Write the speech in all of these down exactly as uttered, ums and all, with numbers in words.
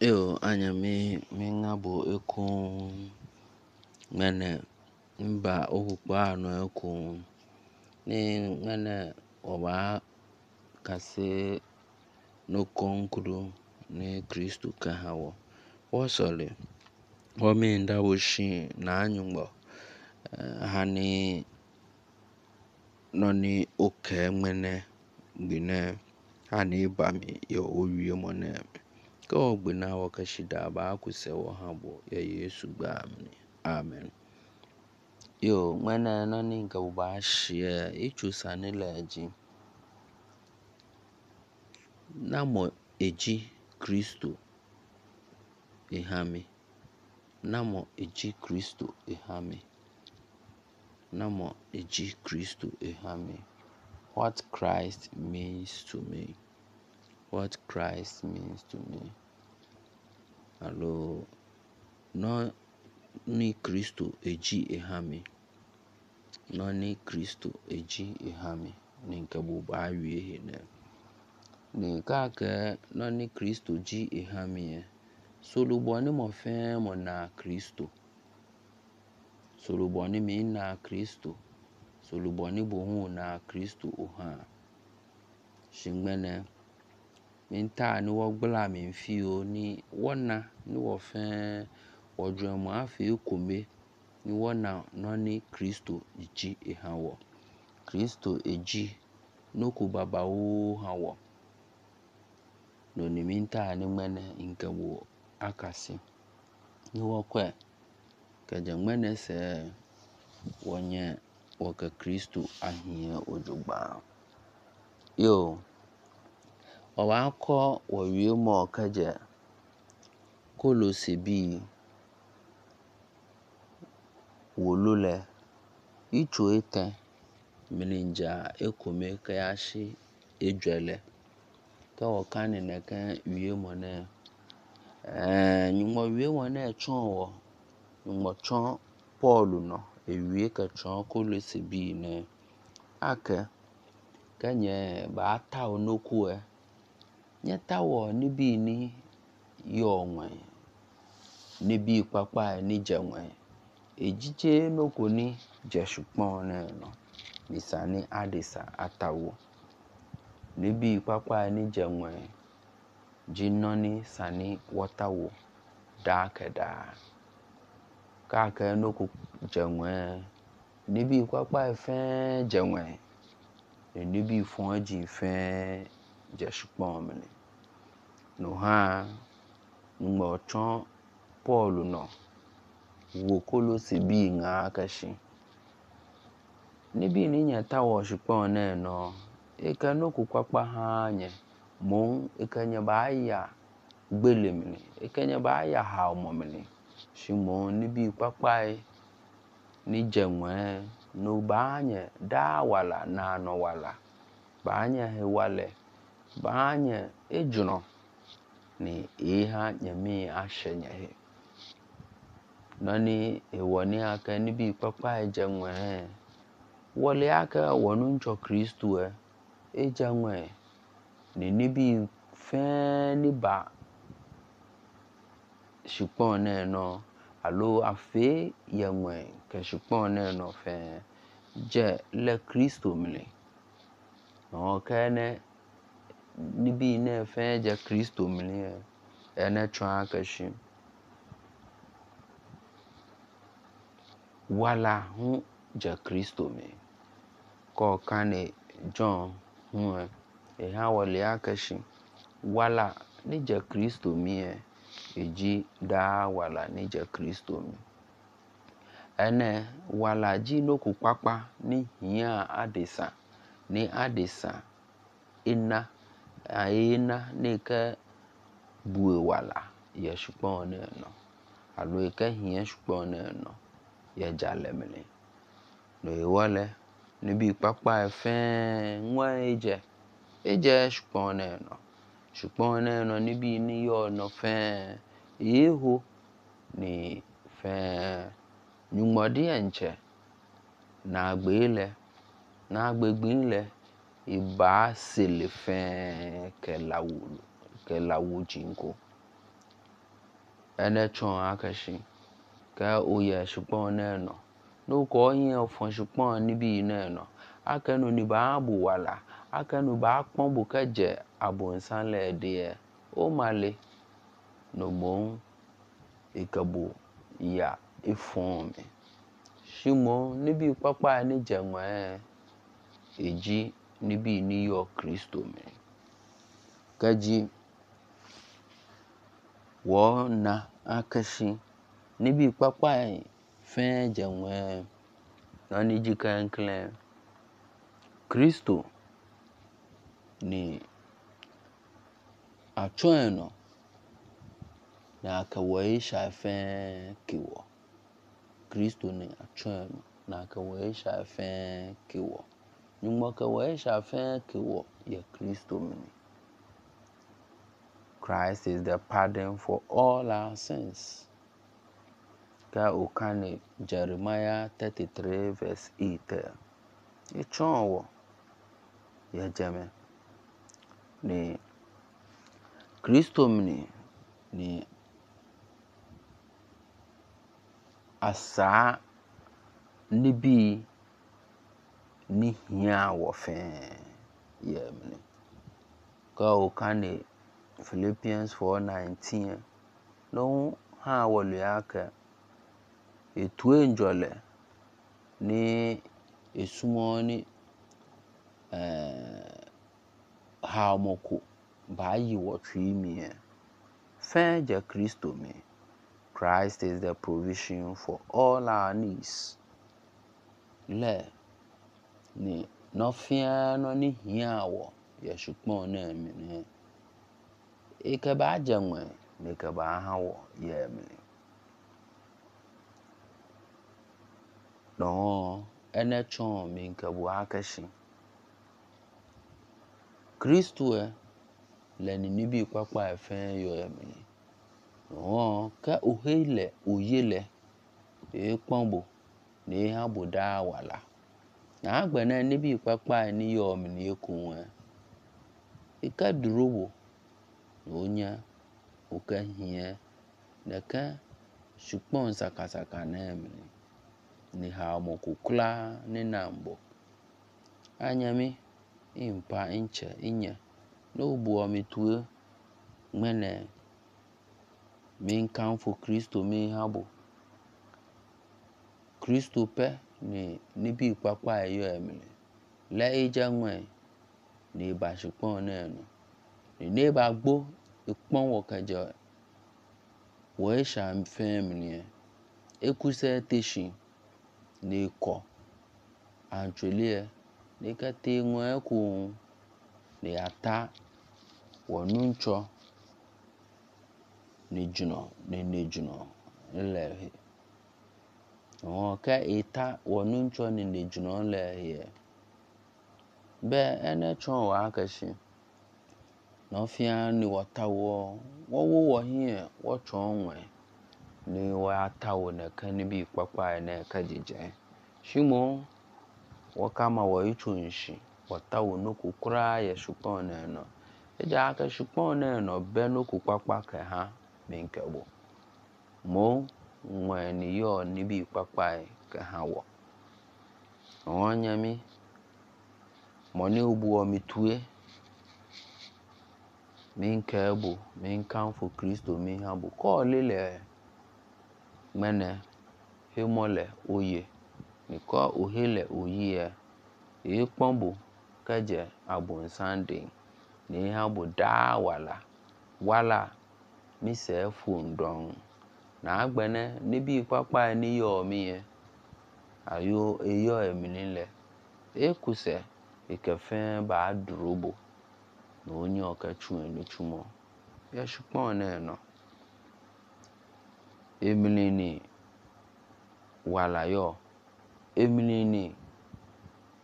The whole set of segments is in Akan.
Yo, anyɛ me me ngabo ekon mene mba okukpo ano ekon ne mene ɔba kase no konkudo ne Kristo ka ha wɔ. Wɔsɔle wɔ me nda wɔ shi na anyugbɔ ha ne nɔni okɛ mene gbinɛ ha ne ba mi yɛ owie mɔ nɛ. Kɛ wɔ gbina wɔ kɛ shi da ba kusɛ wɔ ha bɔ yɛ Yesu gba mini. Amen. Yo, mene nɔni nke ba shiɛ itso sani lɛ dzi. Namɔ edzi Kristo ehami. Namɔ edzi Kristo ehami. Namɔ edzi Kristo ehami. What Christ means to me. What Christ means to me. Alo nɔni Kristo edzi ehami. Nɔni Kristo edzi ehami. Ni nke bo ba wie he ne. Ni ka ke nɔni Kristo dzi ehami yɛ. Solubɔ ni mɔ fɛn mɔ na Kristo. Solubɔ ni mi na Kristo. Solubɔ ni bo hu na Kristo oha. Shingbɛnɛ mi ta ni wɔ gbla mi fio ni wɔna ni wɔ fɛn wɔdze mɔ afi ekome ni wɔna nɔni Kristo dzi eha wɔ. Kristo edzi noko baba wo ha wɔ. Noni mi ta ni ŋmɛnɛ nke wo akasi. Ni wɔkɔe kɛdze ŋmɛnɛ sɛ wɔnyɛ wɔkɛ Kristo ahiɛ odzogba. Yo, ɔwa kɔ wɔwie mɔ kɛdze Kolose bi wolo lɛ itso etɛ mini dza ekome kɛ ya shi edzɔe lɛ. Kɛ wɔ ka nene kɛ wie mɔ nɛ ɛɛ nyugbɔ wie mɔ nɛ tsɔn wɔ nyugbɔ tsɔn Pɔlu nɔ ewie kɛ tsɔn Kolose bi nɛ akɛ kɛ nyɛ ba ta onokue nye ta wɔ nibi ni yɔ ŋmɛ nibi kpakpa ni dze ŋmɛ edzidze noko ni dze shukpɔn nɛ nɔ nisa ni adesa atawo nibi kpakpa ni dze ŋmɛ dzi nɔni sani wɔtawo daa kɛ daa kake noko dze ŋmɛ nibi kpakpa fɛn dze ŋmɛ nibi fɔn dzi fɛn dze shukpɔn mini no hã ŋgbɔ tsɔn Pɔlu nɔ wo Kolose bi ŋa kɛ shi nibi ni nye tawɔ shukpɔn nɛ nɔ eke noko kpakpa hã nye mo eke nye ba ya gbele mini eke nye ba ya ha mɔ mini shi mo nibi kpakpa ni dze ŋmɛ no ba nye daa wala na nɔ wala ba nye he walɛ ba nye edzrɔ ni eha nye mi ashe nye he nɔni ewɔ ni ake nibi kpakpa dze ŋmɛ wɔle ake wɔ nu Kristo edze ŋmɛ ni nibi fɛn ni ba shukpɔn nɛ nɔ alo afe yɛ ŋmɛ kɛ shukpɔn nɛ nɔ fɛn dze lɛ Kristo mini nɔ kɛ nɛ nibi nɛ fɛn dze Kristo mini ɛnɛ tsɔn akɛ shi wala hu dze Kristo mi kɔ ka ne John hu eha wɔle akɛ shi wala ni dze Kristo mi edzi daa wala ni dze Kristo mi ɛnɛ wala dzi noko kpakpa ni hia adesa ni adesa ena ena ne ke bue wala yɛ shukpɔn nɛ nɔ alo eke hia shukpɔn nɛ nɔ yɛ dzalɛ mini no ewɔlɛ nibi kpakpa fɛn ŋmɛ edze edze shukpɔn nɛ nɔ shukpɔn nɛ nɔ nibi ni yɔ nɔ fɛn eho ni fɛn nyugbɔdi ɛntsɛ na gbe lɛ na gbegbe lɛ eba sele fɛn kɛ lawu kɛ lawu dzinko. Ene tsɔn akɛshi kɛ oyɛ shukpɔn nɛnɔ n'okɔ hiɛ ofɔn shukpɔn nibi nɛnɔ akɛnu ni ba bu wala akɛnu ba kpɔn bo kɛjɛ abonsan lɛ omale no mo ikɛbo ya ifɔn mi shimo nibi kpakpa ni jɛnwɛ eji nibi ni yɔ kristo mi kɛji wɔna akɛshi nibi kpakpa fɛn jɛnwɛ nɔni ji kɛnklɛn kristo ni achɔɛnɔ na kɛwɔ isha fɛn kewɔ kristo ni achɔɛnɔ na kɛwɔ isha fɛn kewɔ nyugbɔ kɛwɔ isha fɛn kewɔ yɛ kristo mini. Christ is the pardon for all our sins. Ka okani Jeremiah thirty-three verse eight. Echɔn wɔ yɛ jɛmɛ ni Kristo mini ni asaa nibi ni hia wɔ fɛn yɛ mini. Ka okani Philippians four nineteen no ha wɔ ake etue njɔlɛ ní esumɔ ní ɛɛ haomɔko ba yi wɔ tui miɛ fɛn jɛ Kristo mi. Christ is the provision for all our needs. Lɛ ni nɔfia nɔ ni hia wɔ yɛ sukpɔn náà mi ní ike ba jɛnwɛ ní ike ba ha wɔ yɛ mi. Nɔɔ ɛnɛ tsɔn mi nke bu akɛshi. Kristo ɛ lɛ ni nibi kpakpa ɛfɛn yɔ ɛmi. Nɔɔ kɛ ohe lɛ oye lɛ ekpɔn bo ne ha bo daa wala. Na agbɛnɛ nibi kpakpa ni yɔ mi ni ekun ɛ. Ike duro bo onye oke hiɛ nɛkɛ sukpɔn sakasaka nɛ mi ni ha ọmọkò kula ní nambo. Anyami impa nkyɛ nyɛ n'obu ɔmi tue ŋmɛnɛ mi nkamfo Kristo mi ha bo. Kristo pɛ ni nibi kpakpa yɔ ɛmi lɛ ijɛ ŋmɛ ni ba sukpɔn nɛnu. Ni ne ba gbo ekpɔn wɔ kɛjɛ wɔ esha fɛn mi ni ekusɛ teshi ni kɔ antsolie ni kɛte ŋmɛ kun ni ata wɔ nuntsɔ ni dzunɔ ni ne dzunɔ lɛ he. Ɔhɔn kɛ eta wɔ nuntsɔ ni ne dzunɔ lɛ he. Bɛ ɛnɛ tsɔn wɔ akɛshi. Nɔfia ni wɔta wɔ wɔwɔ wɔ hiɛ wɔ tsɔn ŋmɛ ni wɔ ata wɔ nɛkɛ nibi kpakpa nɛ kɛ jijɛ. Shimo wɔ kama wɔ itsu nshi wɔta wɔ nuku kura yɛ sukpɔn nɛnɔ. Eja akɛ sukpɔn nɛnɔ bɛ nuku kpakpa kɛ ha mi nkɛ bo. Mo ŋmɛ ni yɔ nibi kpakpa kɛ ha wɔ. Ɔhɔn nyami mɔni obu ɔmi tue mi nkɛ bo mi nkamfo Kristo mi ha bo kɔ lelɛ ŋmɛnɛ hemɔlɛ oye ni kɔ ohe lɛ oyi ekpɔn bo kɛjɛ abonsan de ni ha bo daa wala wala mi sɛ fondɔn na agbɛnɛ nibi kpakpa ni yɔ mi yɛ ayo eyɔ ɛmi ni lɛ ekusɛ ikɛfɛn ba duro bo na onye ɔkɛ tsu ni tsumɔ yɛ sukpɔn nɛnɔ. Emini ni wala yɔ emini ni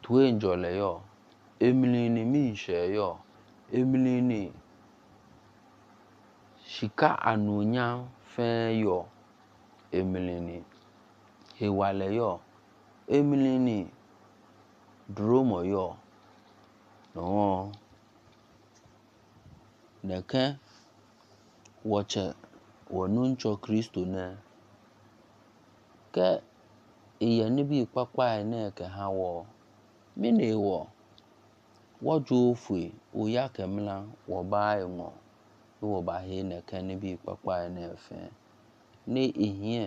tue njɔlɛ yɔ emini ni mi nhyɛ yɔ emini ni shika anuonyam fɛn yɔ emini ni ewalɛ yɔ emini ni duromɔ yɔ nɔɔ nɛkɛ wɔtsɛ Wɔ nuntsɔ Kristo nɛ kɛ iyɛ nibi kpakpa nɛ kɛ ha wɔ mine wɔ wɔdzo fue oya kɛ mla wɔ ba enɔ wɔ ba he nɛ kɛ nibi kpakpa nɛ fɛ ni ihiɛ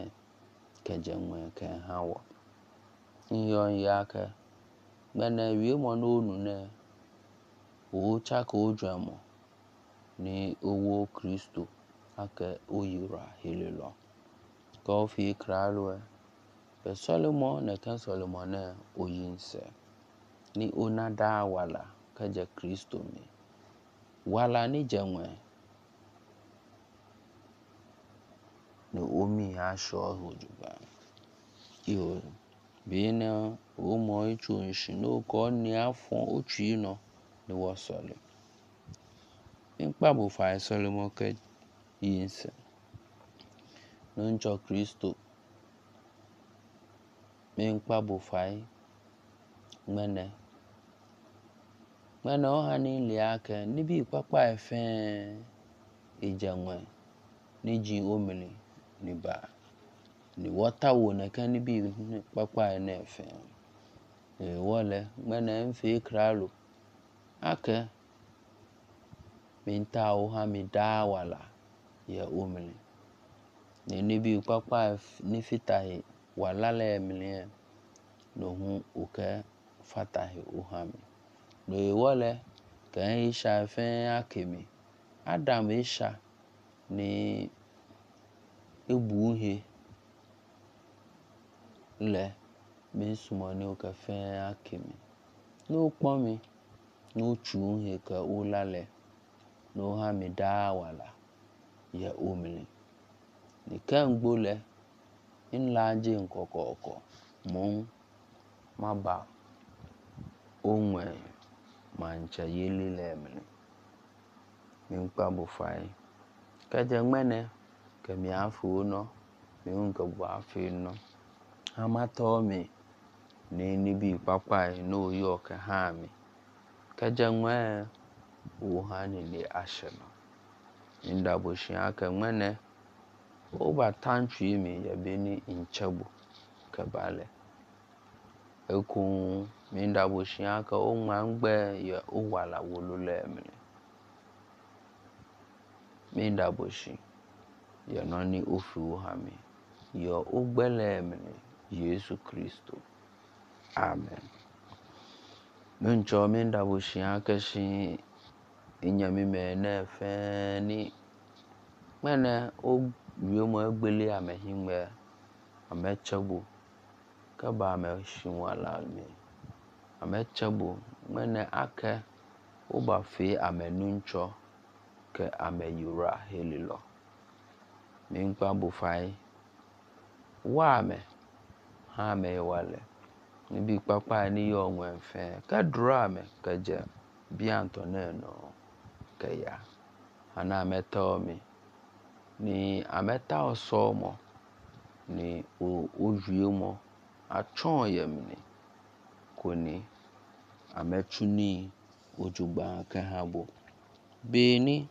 kɛ jɛnwɛ kɛ ha wɔ iyɔ ya kɛ gbɛnɛ wiemɔ n'onu nɛ o tsa kɛ odzɔmɔ ni owo Kristo akɛ oyira helelɔ kɛ ofi kralue kɛ sɔlimɔ nɛkɛ sɔlimɔ nɛ oyinsɛ ni ona da wala kɛjɛ Kristo mi wala ni jɛnwɛ ni omi asɔ hojugba iyo bene omo itso nshi n'okɔ ni afɔ otsi nɔ ni wɔ sɔli nkpa bo fa sɔlimɔ kɛ yinsɛ nuntsɔ Kristo mi nkpa bo fa ŋmɛnɛ ŋmɛnɛ ohani liakɛ nibi kpakpa fɛ ijɛnwɛ ni ji omini ni ba ni wɔta wo nɛkɛ nibi kpakpa nɛ fɛ ewɔlɛ ŋmɛnɛ nfe kralo akɛ mi ta ohami da wala yɛ omini ni nibi kpakpa ni fitahe wala lɛ mini nohu okɛ fatahe ohami no ewɔlɛ kɛ isha fɛ akemi Adam esha ni ebuhe lɛ mi sumɔ ni okɛ fɛ akemi no kpɔmi no tsuhe kɛ olalɛ no hami da wala yɛ omini ni kɛ ngbolɛ nlaje nkɔkɔkɔ mun maba onwɛ mantsɛ yeli lɛ mini mi nkpa bo fai kɛjɛ ŋmɛnɛ kɛ mi afe onɔ mi hunkɛ bo afe nɔ amatɔ mi ni nibi kpakpa no yɔ kɛ hami kɛjɛ ŋmɛ ohani ni ashɛnɔ mi dabo shia kɛ ŋmɛnɛ oba tantsui mi yɛ beni intsɛbo kɛ balɛ ekun mi dabo shia kɛ oŋma ngbɛ yɛ owala wolo lɛ mini mi dabo shi yɛ nɔ ni ofe ohami yɛ ogbɛlɛ mini Yesu Kristo. Amen. Nuntsɔ mi dabo shia kɛ shi inyami mɛ nɛ fɛ ni ŋmɛnɛ o wiemɔ egbele amɛ hingbɛ amɛ tsɛbo kɛ ba amɛ shi wala mi amɛ tsɛbo ŋmɛnɛ akɛ oba fe amɛ nuntsɔ kɛ amɛ yira helelɔ mi nkpa bo fai wa amɛ ha amɛ walɛ nibi kpakpa ni yɔ ŋwɛ fɛ kɛ dra amɛ kɛjɛ biantɔ nɛnɔ kɛ ya ana amɛ tɔ mi ni amɛ ta ɔsɔmɔ ni owiemɔ atsɔn yɛ mini koni amɛ tsuni ojugba kɛ habo beni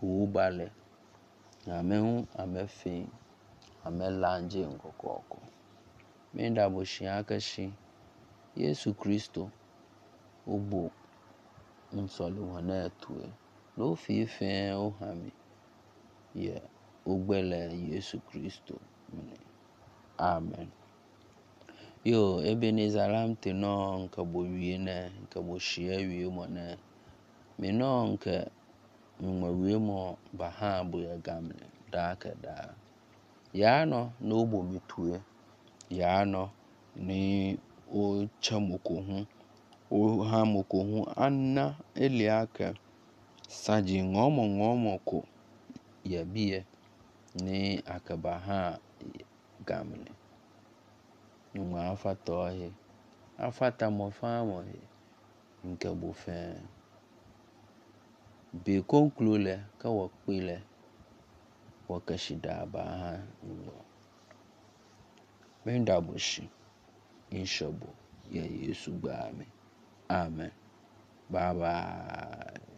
obalɛ amɛ hu amɛ fe amɛ lanje nkɔkɔkɔ mi dabo shia kɛ shi Yesu Kristo obo nsɔlimɔ nɛ tue no fi fɛ ohami yɛ ogbɛlɛ Yesu Kristo mini. Amen. Yo Ebenezer Lamte nɔ nkɛ bo wie nɛ nkɛ bo shia wie mɔ nɛ mi nɔ nkɛ ŋmɛ wie mɔ ba ha bo yɛ gamini daa kɛ daa. Yaa nɔ n'obo mi tue yaa nɔ ni o tsɛ moko hu o ha moko hu ana elia kɛ saji ŋɔmɔ ŋɔmɔ ko yɛ biɛ ni akɛ ba ha gamini. Ŋmɛ afatɔ he afata mɔ faamɔ he nkɛ bo fɛ be konklo lɛ kɛ wɔ kpe lɛ wɔ kɛ shi daa ba ha ŋgbɔ. Mi dabo shi nshɛbo yɛ Yesu gbaa mi. Amen. Bye bye.